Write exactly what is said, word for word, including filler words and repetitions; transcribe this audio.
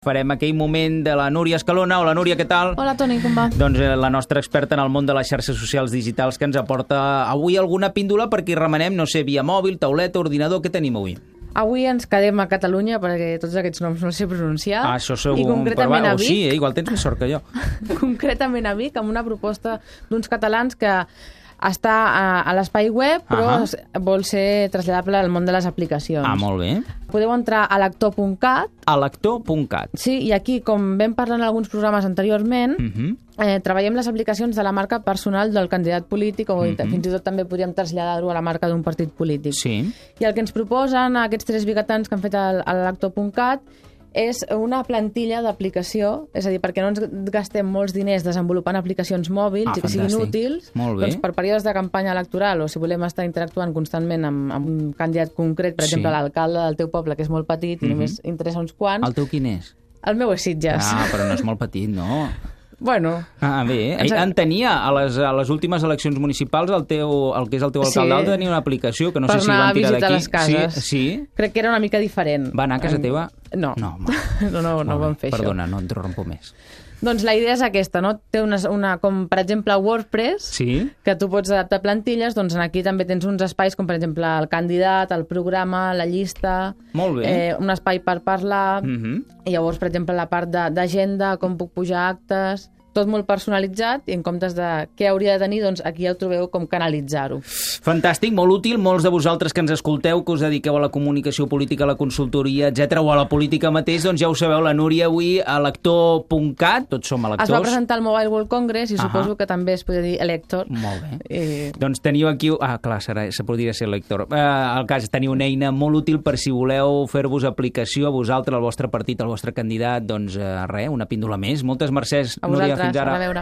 Farem aquell moment de la Núria Escalona. Hola, Núria, què tal? Hola, Toni, com va? Doncs eh, la nostra experta en el món de les xarxes socials digitals que ens aporta avui alguna píndola perquè hi remenem, no sé, via mòbil, tauleta, ordinador. Què tenim avui? Avui ens quedem a Catalunya perquè tots aquests noms no els sé pronunciar. Ah, això segur. I concretament per... a Vic. O sí, eh? Igual tens més sort que jo. Concretament a Vic, amb una proposta d'uns catalans que està a, a l'espai web, però uh -huh. vol ser traslladable al món de les aplicacions. Ah, molt bé. Podeu entrar a lector punt cat. A lector punt cat. Sí, i aquí, com vam parlar en alguns programes anteriorment, uh -huh. eh, treballem les aplicacions de la marca personal del candidat polític o uh -huh. fins i tot també podríem traslladar-ho a la marca d'un partit polític. Sí. I el que ens proposen aquests tres biguetans que han fet al, al lector punt cat és una plantilla d'aplicació, és a dir, perquè no ens gastem molts diners desenvolupant aplicacions mòbils ah, i que siguin útils, doncs per períodes de campanya electoral o si volem estar interactuant constantment amb, amb un candidat concret, per sí. exemple, l'alcalde del teu poble, que és molt petit i uh-huh. només interessa uns quants. El teu quin és? El meu és Sitges. Ah, però no és molt petit, no? Bueno... Ah, bé. Ens... En tenia, a les, a les últimes eleccions municipals, el, teu, el que és el teu alcalde sí. tenia una aplicació que no per sé si van tirar d'aquí. Per anar a visitar les cases. Sí, sí. Crec que era una mica diferent. Va anar a casa teva? No. No, no, no, no ho vam fer, Perdona, això. no et rompo més. Doncs la idea és aquesta, no? Té una, una com per exemple WordPress, sí? que tu pots adaptar plantilles, doncs aquí també tens uns espais com per exemple el candidat, el programa, la llista, molt bé. Eh, un espai per parlar, uh-huh. i llavors per exemple la part d'agenda, com puc pujar actes, tot molt personalitzat i en comptes de què hauria de tenir, doncs aquí ja ho trobeu com canalitzar-ho. Fantàstic, molt útil. Molts de vosaltres que ens escolteu, que us dediqueu a la comunicació política, a la consultoria, etcètera, o a la política mateix, doncs ja ho sabeu, la Núria avui a lector punt cat, tots som electors. Es va presentar al Mobile World Congress i uh-huh. suposo que també es podria dir elector. Molt bé. I... Doncs teniu aquí... Ah, clar, serà, se podria ser elector. Eh, al cas, teniu una eina molt útil per si voleu fer-vos aplicació a vosaltres, al vostre partit, al vostre candidat, doncs eh, res, una píndola més. Moltes mercès, Núria, fins ara. A veure.